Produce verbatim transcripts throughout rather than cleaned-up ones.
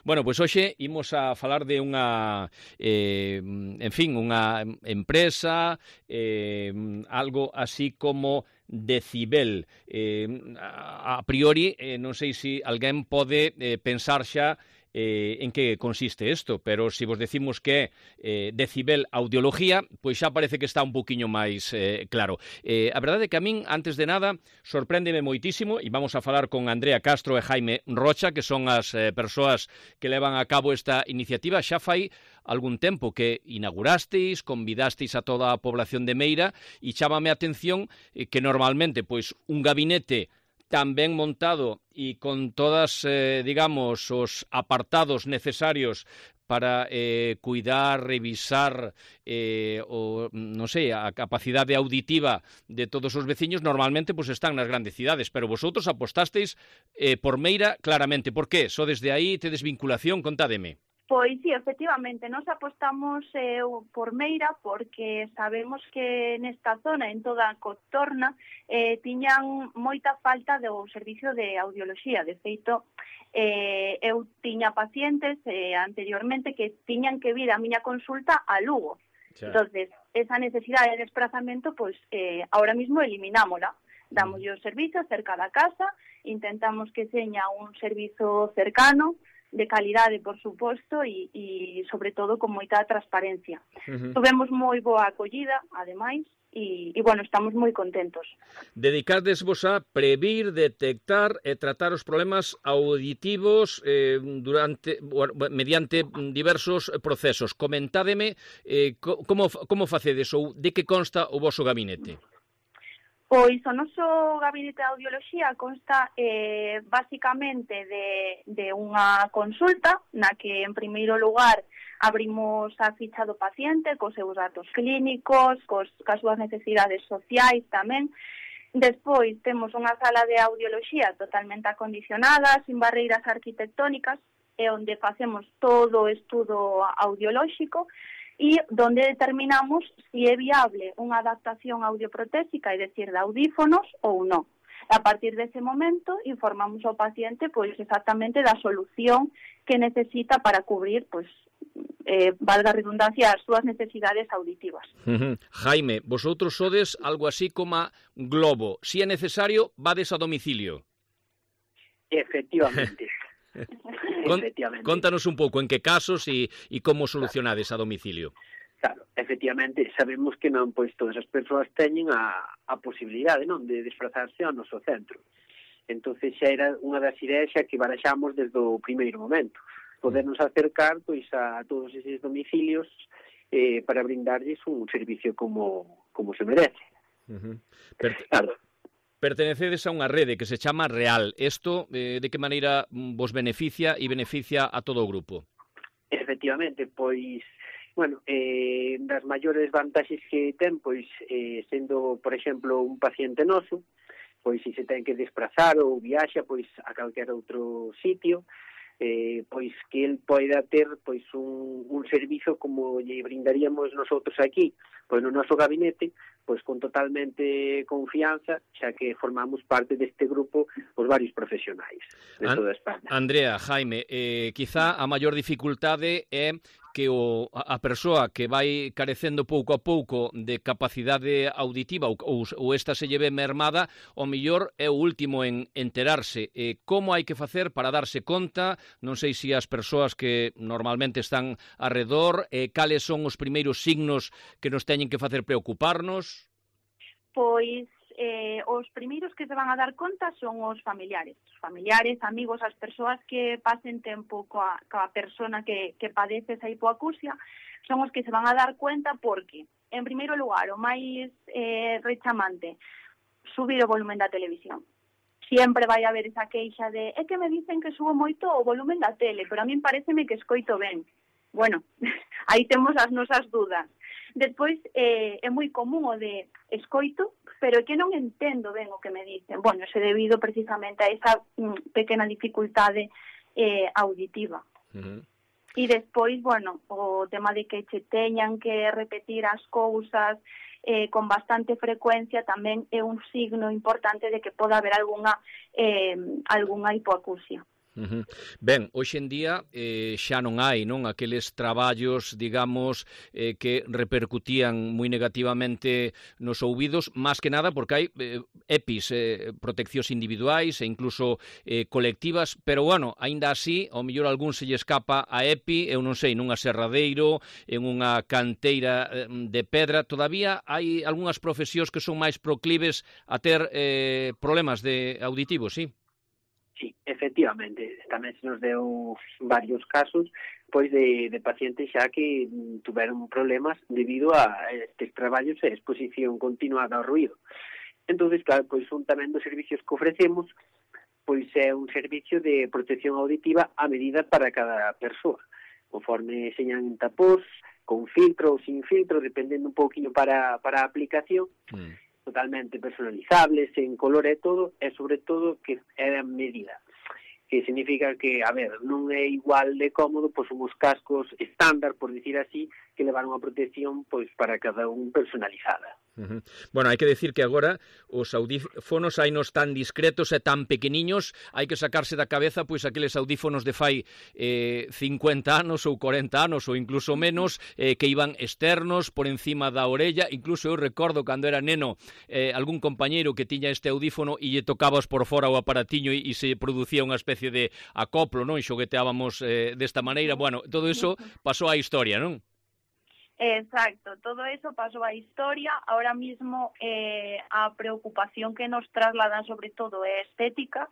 Bueno, pois hoxe imos a falar de unha, eh, en fin, unha empresa, eh, algo así como Decibel. Eh, a, a priori, eh, non sei se alguén pode eh, pensar xa Eh, en que consiste isto, pero se vos decimos que é eh, Decibel Audiología, pois xa parece que está un poquinho máis eh, claro. Eh, a verdade é que a min, antes de nada, sorpréndeme moitísimo, e vamos a falar con Andrea Castro e Jaime Rocha, que son as eh, persoas que levan a cabo esta iniciativa. Xa fai algún tempo que inaugurasteis, convidasteis a toda a población de Meira, e chámame a atención eh, que normalmente pois un gabinete tan ben montado e con todas, eh, digamos, os apartados necesarios para eh, cuidar, revisar eh, o, non sei, a capacidade auditiva de todos os veciños, normalmente pues, están nas grandes cidades, pero vosotros apostasteis eh, por Meira claramente. Por qué? Só desde aí tedes vinculación? Contádeme. Pois sí, efectivamente, nos apostamos eh, por Meira porque sabemos que nesta zona, en toda a contorna, eh, tiñan moita falta do servicio de audioloxía. De feito, eh, eu tiña pacientes eh, anteriormente que tiñan que vir a miña consulta a Lugo. Sí. Entonces, esa necesidade de desplazamento, pois, eh, ahora mismo eliminámola. Damos mm. o servicio cerca da casa, intentamos que seña un servizo cercano, de calidade, por suposto, e, e sobre todo con moita transparencia. Uh-huh. Tuvemos moi boa acollida, ademais, e, e bueno, estamos moi contentos. Dedicadesvos a previr, detectar e tratar os problemas auditivos eh, durante mediante diversos procesos. Comentádeme eh, como, como facedes ou de que consta o voso gabinete? Pois o noso gabinete de audioloxía consta eh, basicamente de, de unha consulta na que, en primeiro lugar, abrimos a ficha do paciente cos seus datos clínicos, cos, cas súas necesidades sociais tamén. Despois temos unha sala de audioloxía totalmente acondicionada, sin barreiras arquitectónicas, e onde facemos todo o estudo audiolóxico, e donde determinamos si é viable unha adaptación audioprotésica, é dicir, de audífonos ou non. A partir dese momento informamos ao paciente pois exactamente da solución que necesita para cubrir, pois, eh, valga a redundancia, as súas necesidades auditivas. Uh-huh. Jaime, vosotros sodes algo así como Globo. Si é necesario, vades a domicilio. Efectivamente. Con, contanos un pouco en que casos e, e como solucionades a domicilio. Claro, efectivamente, sabemos que non pois todas as persoas teñen a, a posibilidade, non, de desplazarse ao noso centro. Entonces xa era unha das ideas xa que baraxamos desde o primeiro momento, podernos acercar pois a todos eses domicilios eh, para brindarlles un servicio como, como se merece. Uh-huh. Per... Claro. Pertenecedes a unha rede que se chama Real. Isto, eh, de que maneira vos beneficia e beneficia a todo o grupo? Efectivamente, pois, bueno, eh, das maiores vantaxes que ten, pois, eh, sendo, por exemplo, un paciente noso, pois, se se ten que desplazar ou viaxa, pois, a calquer outro sitio, eh, pois, que el poida ter, pois, un, un servizo como lle brindaríamos nosotros aquí, pois, no noso gabinete, pois con totalmente confianza, xa que formamos parte deste grupo os varios profesionais de toda España. Andrea, Jaime, eh, quizá a maior dificultade é que o, a persoa que vai carecendo pouco a pouco de capacidade auditiva ou, ou, ou esta se lleve mermada, o mellor é o último en enterarse. Eh, como hai que facer para darse conta? Non sei se as persoas que normalmente están arredor, eh, cales son os primeiros signos que nos teñen que facer preocuparnos? Pois eh, os primeiros que se van a dar conta son os familiares. Os familiares, amigos, as persoas que pasen tempo coa, coa persona que, que padece esa hipoacusia, son os que se van a dar cuenta porque, en primeiro lugar, o máis eh, rechamante, subir o volumen da televisión. Siempre vai haber esa queixa de é que me dicen que subo moito o volumen da tele, pero a min pareceme que escoito ben. Bueno, aí temos as nosas dudas. Despois, eh, é moi común o de escoito, pero é que non entendo ben o que me dicen. Bueno, é debido precisamente a esa mm, pequena dificultade eh, auditiva. Uh-huh. E despois, bueno, o tema de que che teñan que repetir as cousas eh, con bastante frecuencia tamén é un signo importante de que poda haber algunha, eh, algunha hipoacusia. Uh-huh. Ben, hoxe en día eh, xa non hai, non, aqueles traballos, digamos, eh, que repercutían moi negativamente nos ouvidos, máis que nada porque hai eh, EPIs, eh, proteccións individuais e incluso eh, colectivas, pero, bueno, aínda así, ao mellor algún se lle escapa a EPI, eu non sei, nunha serradeiro, en unha canteira eh, de pedra, todavía hai algunhas profesións que son máis proclives a ter eh, problemas de auditivos, sí? Sí, efectivamente, tamén se nos deu varios casos pois de, de pacientes xa que tuveron problemas debido a estes traballos e exposición continuada ao ruído. Entonces, claro, pois un tamén dos servicios que ofrecemos pois é un servicio de protección auditiva a medida para cada persoa, conforme señan en tapós, con filtro ou sin filtro, dependendo un pouquinho para, para a aplicación, mm. totalmente personalizables, en color e todo, e sobre todo que é a medida. Que significa que, a ver, non é igual de cómodo, pois uns cascos estándar, por dicir así, que levaron a protección pois para cada un personalizada. Uh-huh. Bueno, hai que decir que agora os audífonos hainos tan discretos e tan pequeniños, hai que sacarse da cabeza pois aqueles audífonos de fai eh, cincuenta anos ou corenta anos ou incluso menos, eh, que iban externos por encima da orella. Incluso eu recordo cando era neno eh, algún compañeiro que tiña este audífono e lle tocabas por fora o aparatiño e, e se producía unha especie de acoplo, non? E xogueteábamos eh, desta maneira. Bueno, todo iso pasou á historia, non? Exacto, todo eso pasó a historia. Ahora mismo eh, a preocupación que nos trasladan sobre todo é estética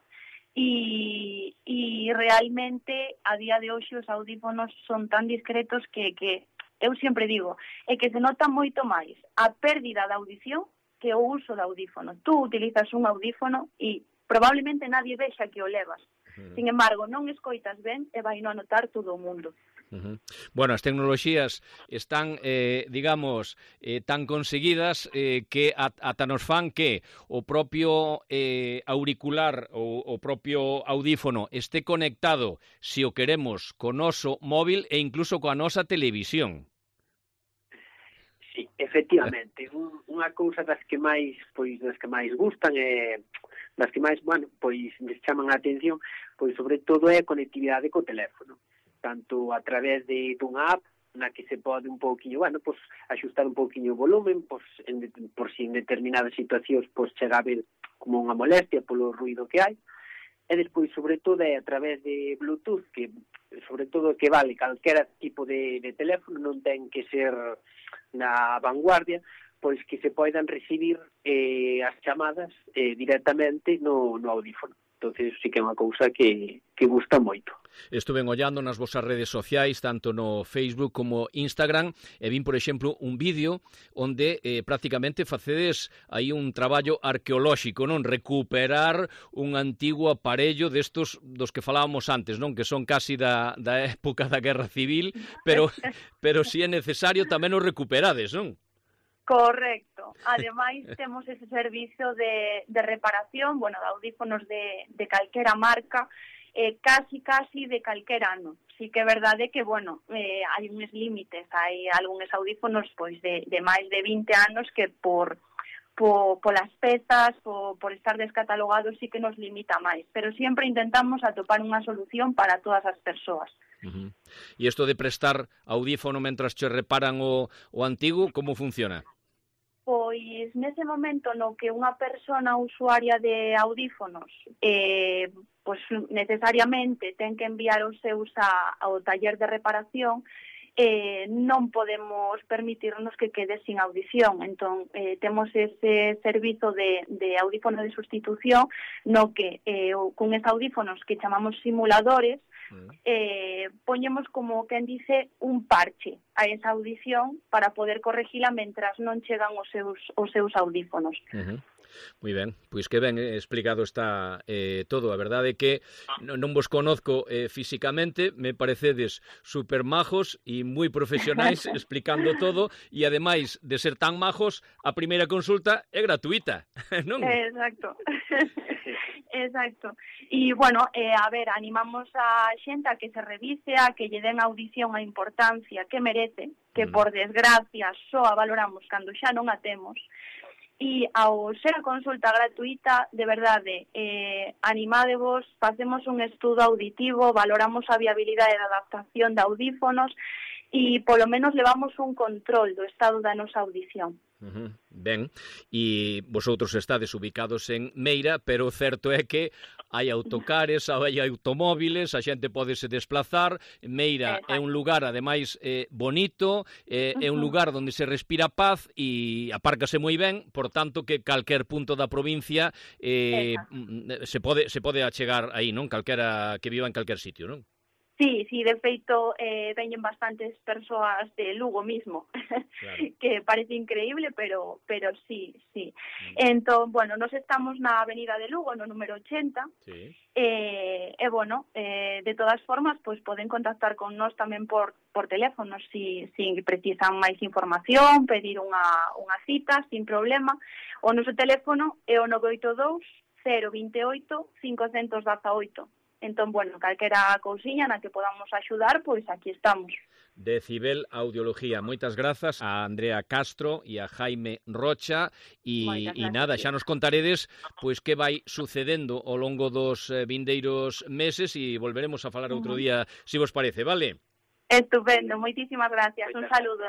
y, y realmente a día de hoxe os audífonos son tan discretos que, que eu sempre digo, é que se nota moito máis a pérdida da audición que o uso do audífono. Tú utilizas un audífono e probablemente nadie vexa que o levas. Sin embargo, non escoitas ben e vai non notar todo o mundo. Uh-huh. Bueno, as tecnoloxías están, eh, digamos, eh, tan conseguidas eh, que ata nos fan que o propio eh, auricular ou o propio audífono este conectado, se o queremos, co noso móvil e incluso coa nosa televisión. Sí, efectivamente, un, unha cousa das que máis, pois, das que máis gustan é, das que máis, bueno, pois, les chaman a atención, pois, sobre todo é a conectividade co teléfono, tanto a través de dunha app na que se pode un pouquiño, bueno, pois, axustar un pouquiño o volumen, pois, en, por si en determinadas situacións, pois, chega a ver como unha molestia polo ruido que hai, e despois, sobre todo, é a través de Bluetooth, que, sobre todo, que vale calquera tipo de, de teléfono, non ten que ser na vanguardia, pois que se poidan recibir eh, as chamadas eh, directamente no, no audífono. Entonces sí que é unha cousa que, que gusta moito. Estuve ollando nas vosas redes sociais, tanto no Facebook como Instagram, e vin, por exemplo, un vídeo onde eh, prácticamente facedes aí un traballo arqueolóxico, non? Recuperar un antigo aparello destos dos que falábamos antes, non? Que son casi da, da época da Guerra Civil, pero, pero si é necesario tamén os recuperades, non? Correcto. Ademais, temos ese servicio de, de reparación, bueno, de audífonos de, de calquera marca, eh, casi, casi de calquera ano. Sí que é verdade que, bueno, eh, hai uns límites, hai algúns audífonos pois de, de máis de vinte anos que por, por, por las pezas, por, por estar descatalogados, sí que nos limita máis. Pero sempre intentamos atopar unha solución para todas as persoas. Uh-huh. E isto de prestar audífono mentras che reparan o, o antigo, como funciona? Pois nese momento no que unha persona usuaria de audífonos eh, pois necesariamente ten que enviar os seus a, ao taller de reparación, eh, non podemos permitirnos que quede sin audición. Entón, eh, temos ese servizo de, de audífono de sustitución no que eh, con estes audífonos que chamamos simuladores, Eh, poñemos como quen dice un parche a esa audición para poder corregila mentras non chegan os seus, os seus audífonos. Uh-huh. Moi ben, pois que ben explicado está eh, todo. A verdade é que non, non vos conozco eh, físicamente, me parecedes super majos e moi profesionais explicando todo, e ademais de ser tan majos, a primeira consulta é gratuita, non? Exacto. Exacto. E, bueno, eh, a ver, animamos a xente a que se revise, a que lle den a audición a importancia que merece, que, por desgracia, só a valoramos cando xa non a temos. E ao ser a consulta gratuita, de verdade, eh, animádevos, facemos un estudo auditivo, valoramos a viabilidade da adaptación de audífonos e polo menos levamos un control do estado da nosa audición. Uh-huh. Ben, e vosotros estades ubicados en Meira, pero o certo é que hai autocares, hai automóviles, a xente pode se desplazar. Meira é un lugar, ademais, eh, bonito, eh, é un lugar onde se respira paz e apárcase moi ben, por tanto que calquer punto da provincia eh, se pode se pode achegar aí, non? Calquera que viva en calquer sitio, non? Sí, sí, de feito, eh, veñen bastantes persoas de Lugo mismo, claro. Que parece increíble, pero pero sí, sí. Mm. Entón, bueno, nos estamos na avenida de Lugo, no número ochenta, sí. eh, e, bueno, eh, de todas formas, pues poden contactar con nós tamén por, por teléfono, si, si precisan máis información, pedir unha, unha cita, sin problema. O noso teléfono é o nove oito dous, cero dos oito, cinco un oito. Entón, bueno, calquera cousiña na que podamos axudar, pois aquí estamos. Decibel Audiología. Moitas grazas a Andrea Castro e a Jaime Rocha e, e nada, xa nos contaredes pois que vai sucedendo ao longo dos eh, vindeiros meses e volveremos a falar outro día, se vos parece, vale? Estupendo, moitísimas gracias. Un saludo.